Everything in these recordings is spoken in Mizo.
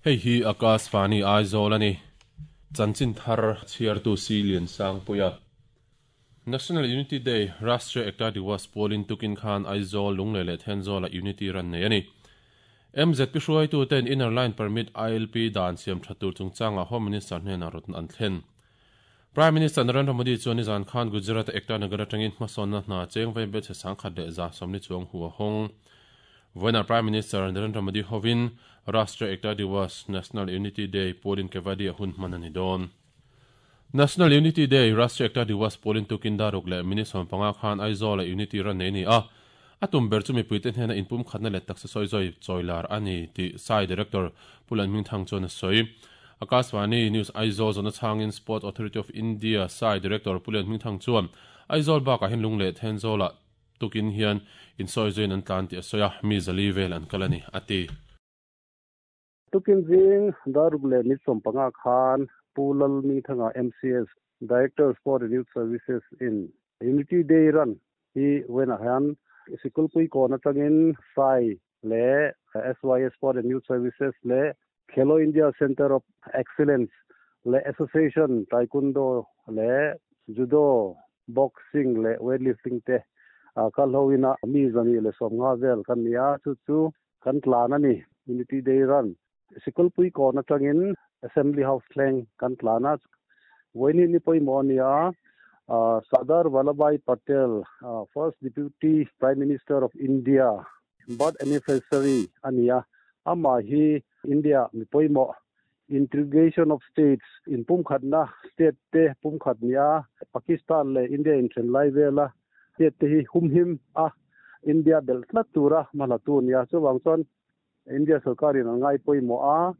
Hei hi Akashvani Aizawl a ni. Chanchin thar chhiartu Si Liansangpuia. National Unity Day, Rashtriya Ekta Diwas pualin tukin khan Aizawl, Lunglei leh Thenzawlah Unity ran nei a ni. MZP hruaituten Inner Line Permit, ILP, dan siam tha tur chungchangah Home Minister hnenah rawtna an thlen. Prime Minister Narendra Modi chuan nizan khan Gujarat-a Ekta Nagar atangin hmasawnna hna cheng vei belchhe 1170 chuang hu a hawng. Vawiinah Prime Minister Narendra Modi hovin Rashtriya Ekta Diwas, National Unity Day, pualin Kevadia hun hman a ni dawn. National Unity Day, Rashtriya Ekta Diwas pualin tukin daruk leh minute 15 khan Aizawl-ah Unity ran nei a ni a. A tum ber chu mipuite hnena inpumkhatna leh taksa sawi zawi chawilar a ni tih sai Director Pu Lanhmingthang chuan a sawi. Akashvani News Aizawl zawhna chhangin Sports Authority of India sai Director Pu Lianhmingthang chuan Aizawl bakah hian lung leh Thenzawlah tukin hian insawi zawiin an tlan tih a sawi a, mi 400 vel an kal a ni, a ti. Tukin zing daruk leh ni 15 khan Pu Lalhmingthanga MCS Director Sport and Youth Services in Unity Day Run hi vawiinah hian Sikulpui kawn atangin sai leh SYS Sport and Youth Services leh Khelo India Centre of Excellence leh Association Taekwondo leh Judo, Boxing leh Weightlifting te kal hoin a mi 150 vel kan ni a, chu chu kan tlan a ni. Unity Day Run Sikulpui kawn atangin Assembly House thleng kan tlan a, vawiin ni pawimawh a ni a, Sardar Vallabhbhai Patel, First Deputy Prime Minister of India birth anniversary a ni a, amah hi India mi pawimawh integration of states inpumkhatna state te pumkhat ni a, Pakistan leh India inthen lai vela state te hi humhim a, India belh tlat tura hmalatu a ni a, chuvang chuan India sarkarin an ngai pawimawh a,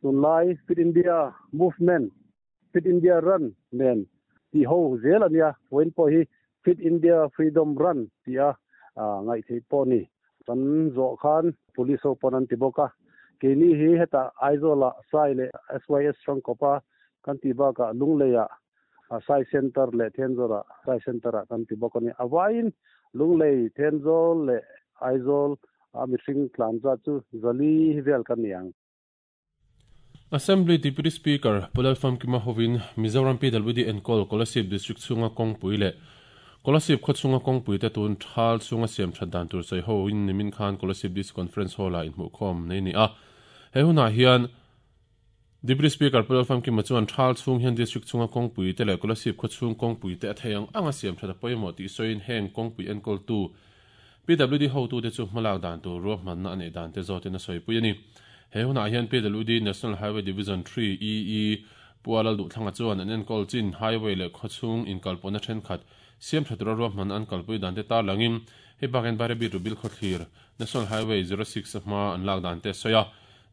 tunlai Fit India Movement, Fit India Run nen tih ho zel a nia, vawiin pawh hi Fit India Freedom Run tih a ngaih theih pawh a ni. Kan zawh khan Police ho pawn an ti bawk a, keini hi hetah Aizawlah Sai leh SYS Hrangkawpa kan tih bakah Lungleiah Sai Center leh Thenzawlah Sai Center-ah kan ti bawk a ni. A vaiin Lunglei, Thenzawl leh Aizawl a mihring tlan zat chu 400 vel kan ni ang. Assembly Deputy Speaker Pu Lalfamkima hovin Mizoram PWD enkawl Kolasib District chhunga kawngpui leh Kolasib khaw chhunga kawngpui te tun thal chhunga siam that dan tur sawi ho in nimin khan Kolasib District Conference Hall ah inhmuhkhawm nei a ni a. He hunah hian Deputy Speaker Pu Lalfamkima chuan thal chhung hian District chhunga kawngpui te leh Kolasib khaw chhung kawngpui te a thei ang anga siam that a pawimawh tih sawiin heng kawngpui enkawltu PWD hotute chu hmalak dan tur ruahmanna a neih dan te zawtin a sawipui a ni. He hunah hian PWD National Highway Division 3 EE Pu Alal Duhthlanga chuan an enkawl chin highway leh khawchhung inkalpawhna thenkhat siam tha tura ruahmanna an kalpui dan te tarlangin hei bakin Bairabi Rubil khawthlir National Highway 06 a hma an lak dan te a sawi a.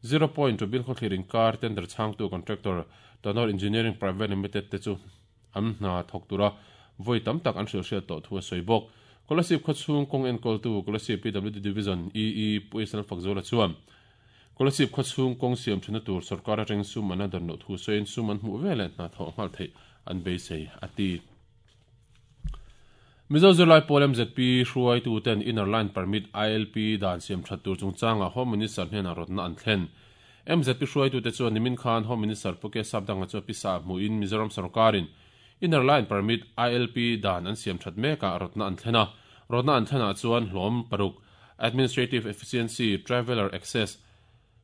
Zero Point Rubil khawthlir inkar tender chhangtu contractor Tanor Engineering Private Limited te chu an hna thawk tura vawi tam tak an hrilhhriat tawh thu a sawi bawk. Kolasib khaw chhung kawng enkawltu Kolasib PWD Division EE Pu Isal Fakzuala chuan Kolasib khaw chhung kawng siam thena tur sorkar atangin sum an la dan loh thu sawiin sum an hmuh veleh hna thawh nghal theih an beisei a ti. Mizo zirlai pawl MZP hruaituten Inner Line Permit, ILP, dan siam that tur chungchangah Home Minister hnenah rawtna an thlen. MZP hruaitute chuan nimin khan Home Minister Pu K Sapdanga chu a pisa hmuhin Mizoram sorkarin Inner Line Permit, ILP, dan an siam that mekah rawtna an thlen a. Rawtna an thlenah chuan hlawm paruk, Administrative Efficiency, Traveller Access,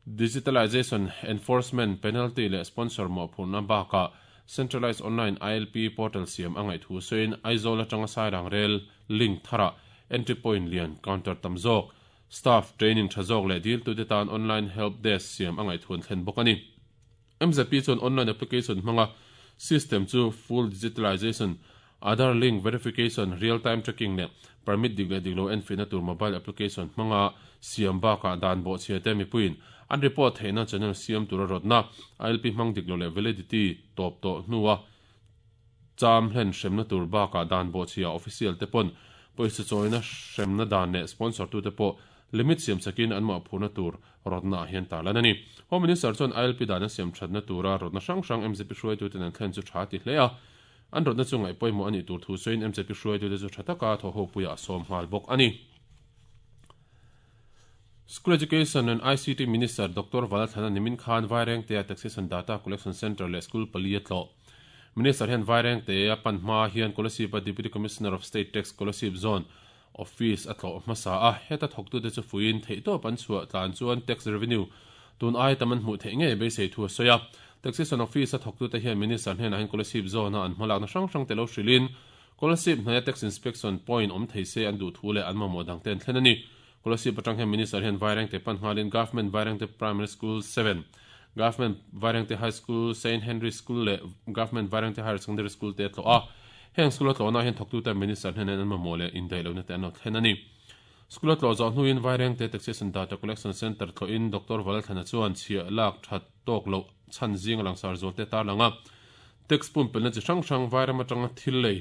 Digitalisation, Enforcement, Penalty leh Sponsor mawhphurhna bakah Centralised Online ILP Portal siam a ngaih thu sawiin Aizawl atanga Sairang Rail Link tharah Entry Point lian counter tam zawk, Staff training tha zawk leh diltute tan online help desk siam a ngaih thu an thlen bawk a ni. MZP chuan online application hmanga system chu full digitalization, Aadhaar link verification, real time tracking leh permit dik leh dik lo enfihna tur mobile application hmanga siam bakah dan bawhchhia te mipuiin an report theihna channel siam tura rawtna ILP hmang dik lo leh validity tawp tawh hnua cham hlen hremna tur bakah dan bawhchhia official te pawn pawisa chawina hremna dan leh sponsor tute pawh limit siam sakin an mawhphurhna tur rawtna ah hian tarlan a ni. Home Minister chuan ILP dan a siam thatna tura rawtna hrang hrang MZP hruaituten an thlen chu tha ti hle a, an rawtna chu ngaih pawimawh a nih tur thu sawiin MZP hruaitute chu tha taka thawhhopuiah a sawm nghal bawk a ni. School Education and ICT Minister Doctor Vanlalthlana nimin khan Vairengtea Taxation Data Collection Centre leh School pali a tlawh. Minister hian Vairengtea pan hma hian Kolasib-a Deputy Commissioner of State Tax Kolasib Zone Office a tlawh hmasa a, heta thawktute chu fuiin theihtawp an chhuah tlan chuan tax revenue tun ai tam an hmuh theih ngei beisei thu a sawi a. Taxation Office-a thawktute hian Minister hnenah hian Kolasib Zone-a an hmalakna hrang hrangte lo hrilhin Kolasib hnaia Tax Inspection Point awm thei se an duh thu leh an mamawh dangte an thlen a ni. Kolasib atang hian Minister hian Vairengte pan nghalin Government Vairengte Primary School 7, Government Vairengte High School, Saint Henry School leh Government Vairengte Higher Secondary School te a tlawh a. Heng school a tlawhna ah hian thawktute Minister hnenah an mamawh leh indaihlohna te an lo thlen a ni. School a tlawh zawh hnuin Vairengte Taxation Data Collection Centre tlawhin Doctor Valalthlana chuan chhiah lak that tawk loh chhan zinga langsar zual te tarlang a, tax pumpelhna chi hrang hrang Vairam atanga thil lei,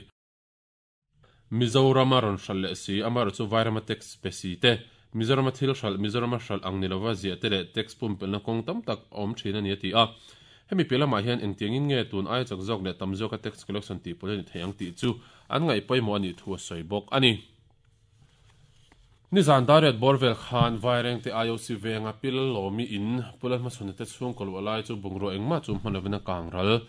Mizorama rawn hralh leh si, amaherawh chu Vairama tax pe si te, Mizorama thil hralh, Mizorama hralh ang ni lova ziah te leh tax pumpelhna kawng tam tak a awm thin a ni a ti a. Hemi piah lamah hian engtiangin nge tun aia chak zawk leh tam zawka tax collection tih pawlh a ni thei ang tih chu an ngaih pawimawh a nih thu a sawi bawk a ni. Nizan Dariat bawr vel khan Vairengte IOC venga Pil Lawmi in Pu Lalhmachhawna te chhungkaw luah lai chu bungrua engmah chu hman lovin a kang ral.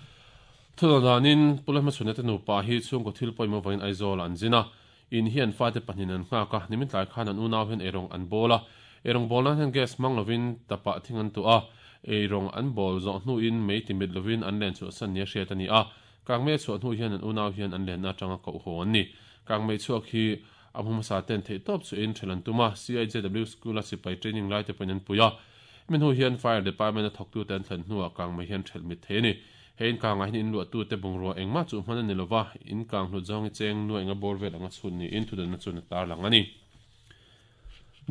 Thudawh danin Pu Lalhmachhawna te nupa hi chhungkaw thil pawimawh vangin Aizawl ah an zin a, in hi an fate pahnihin an nghak a, nimin tlai khan an unau hian eirawng an bawl a, eirawng bawl nan hian gas hmang lovin tapah thing an tuah a, eirawng an bawl zawh hnuin mei ti mit lovin an len chhuahsan nia hriat a ni a, kangmei a chhuah hnu hian an unau hian an lenna atanga koh haw an ni. Kangmei chhuak hi a hmu hmasa ten theihtawp chuhin ṭhelh an tum a, CIJW School-a sipai training laite pawhin an pui a. Hemi hnu hian Fire Department-a thawktute an thlen hnuah kangmei hian ṭhelh mit thei a ni. He inkangah hian inluahtute bungrua engmah chu hman a ni lova, inkang hlut zawngi cheng nuaih nga bawr vel anga chhun niin thudanna chuan a tarlang a ni.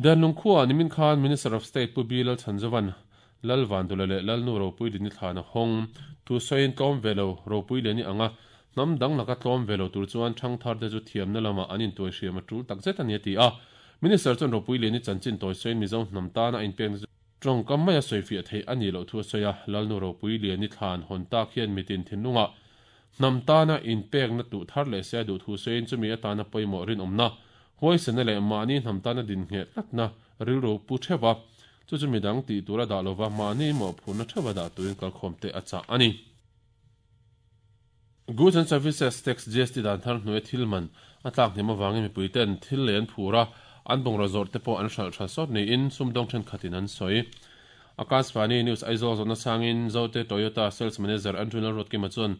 Danlung khuaah nimin khan Minister of State Pu Bi Lalchhanzovan Lal Vandula leh Lalnu Ropui Lini thlan a hawng. Thu sawiin tlawm ve lo Ropui Lini anga hnam dang laka tlawm ve lo tur chuan thangtharte chu thiamna lamah an intuai hriam a tul takzet a ni a ti a. Minister chuan Ropui Lini chanchin tawi sawiin Mizo hnam tana a inpekna chu tawngkam maia sawifiah theih a nih loh thu a sawi a. Lalnu Ropui Liani thlan hawn tak hian mitin thinlungah hnam tana inpekna tuh thar leh se a duh thu sawiin chumi atana pawimawh rinawmna, huaisena leh mahni hnam tana dinnghet tlatna rilru pu theuh a, chu chu midang tih tur a dah lova mahni mawhphurhna theuh a dah turin kalkhawm te a chah a ni. Goods and Services Tax, GST, dan thar hnuaia thil man a tlak hnem avangin mipui ten thil lei an phur a, an bungraw zawrh te pawh an hralh tha sawt niin sumdawng thenkhatin an sawi. Akashvani News Aizawl zawhna sangin Zote Toyota Sales Manager Andrew Lalruatkima chuan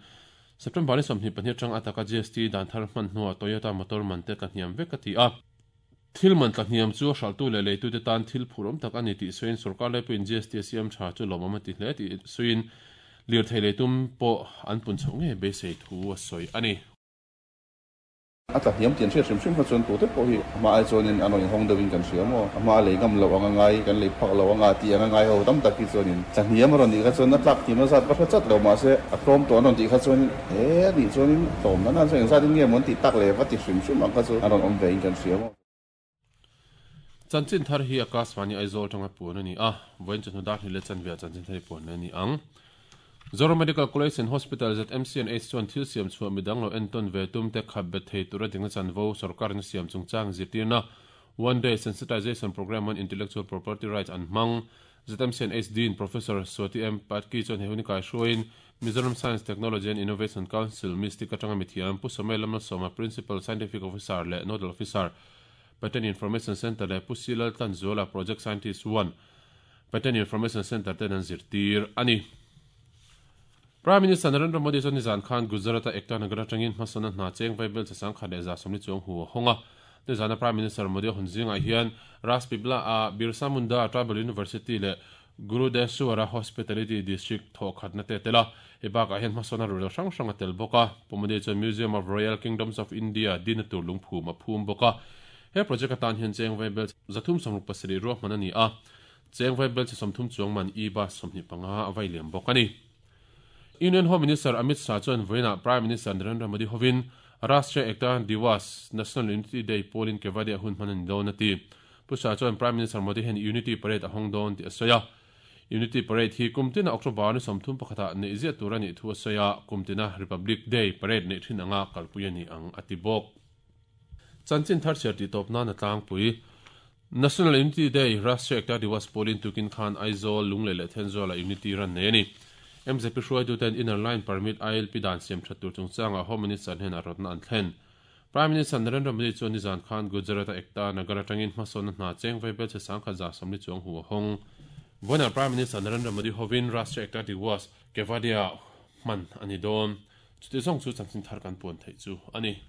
September ni 22 atang a taka GST dan thar hman hnuah Toyota motor man te tla hniam vek a ti a. Thil man tla hniam chu a hralhtu leh leitute tan thil phur awm tak a ni tih sawiin sorkar laipuiin GST a siam tha chu lawmawm a ti hle tih sawiin lirthei leitum pawh an pun chhoh ngei beisei thu a sawi a ni. A tla hniam tih an hriat hrim hrim kha chuan tute pawh hi a hma ai chuanin an rawn inhawng deuhin kan hria maw? A hma a lei ngam loh anga ngai, kan lei phak loh anga tih anga ngai ho tam tak hi chuanin tla hniam a rawn nih kha chuan a tlak hniam a zat va hre chat lo mahse a tlawm tawh an rawn tih kha chuanin He a nih chuanin tlawmna nan chuan engzat in nge maw an tih tak leh va ti hrim hrim ang kha chu an rawn awm ve in kan hria maw. Chanchin thar hi Akashvani Aizawl atanga puan a ni a, vawiin chawhnu dar hnih leh chanve ah chanchin thar hi puan leh a ni ang. Zoram Medical College and Hospital, ZMCNH, chuan thil siam chhuah midang lo entawn ve tum te khap bet thei tura dikna chanvo sorkarin a siam chungchang zirtirna One Day Sensitization Programme on Intellectual Property Rights an hmang. ZMCNH Dean Professor Swati M. Patki chuan he hun i kaihruaiin Mizoram Science, Technology and Innovation Council, MISTIC, atanga mithiam Pu Samuel Lamlasawma, Principal Scientific Officer leh Nodal Officer, Patent Information Centre leh Pu C. Laltlanzuala, Project Scientist I, Patent Information Centre ten an zirtir a ni. Prime Minister Narendra Modi chuan nizan khan Gujarat-a Ekta Nagar atangin hmasawnna hna cheng vaibel che 1170 chuang hu a hawng a. Nizana Prime Minister Modi a hawn zingah hian Rajpipla-a Birsa Munda Tribal University leh Gurudeshwara Hospitality District thawhkhatna te a tel a. Hei bakah hian hmasawnna ruihhlo hrang hrang a tel bawk a. Pu Modi chuan Museum of Royal Kingdoms of India dina tur lungphum a phum bawk a. He project atan hian cheng vaibel 367 ruahman a ni a. Cheng vaibel chi 30 chuang man e-bus 25 a vai liam bawk a ni. Union Home Minister Amit Shah chuan vawiinah Prime Minister Narendra Modi hovin Rashtriya Ekta Diwas, National Unity Day, pawlin Kevadia hun hman a ni dawn a ti. Pu Shah chuan Prime Minister Modi hian Unity Parade a hawng dawn tih a sawi a. Unity Parade hi kum tina October ni 30 pakhatah neih ziah tur a nih thu a sawi a, kum tina Republic Day Parade neih thin anga kalpui a ni ang a ti bawk. Chanchin thar chhiar tih tawp nan a tlangpui. National Unity Day, Rashtriya Ekta Diwas pawlin tukin khan Aizawl, Lunglei leh Thenzawl-ah Unity Run nei a ni. MZP hruaituten Inner Line Permit, ILP, dan siam that tur chungchangah Home Minister hnenah rawtna an thlen. Prime Minister Narendra Modi chuan nizan khan Gujarat-a Ekta Nagar atangin hmasawnna hna cheng vaibel chhe sangkhat 140 chuang hu a hawng. Vawiinah Prime Minister Narendra Modi hovin Rashtriya Ekta Diwas, Kevadia hman a ni dawn. Chuti zawng chu chanchin thar kan puan theih chu a ni.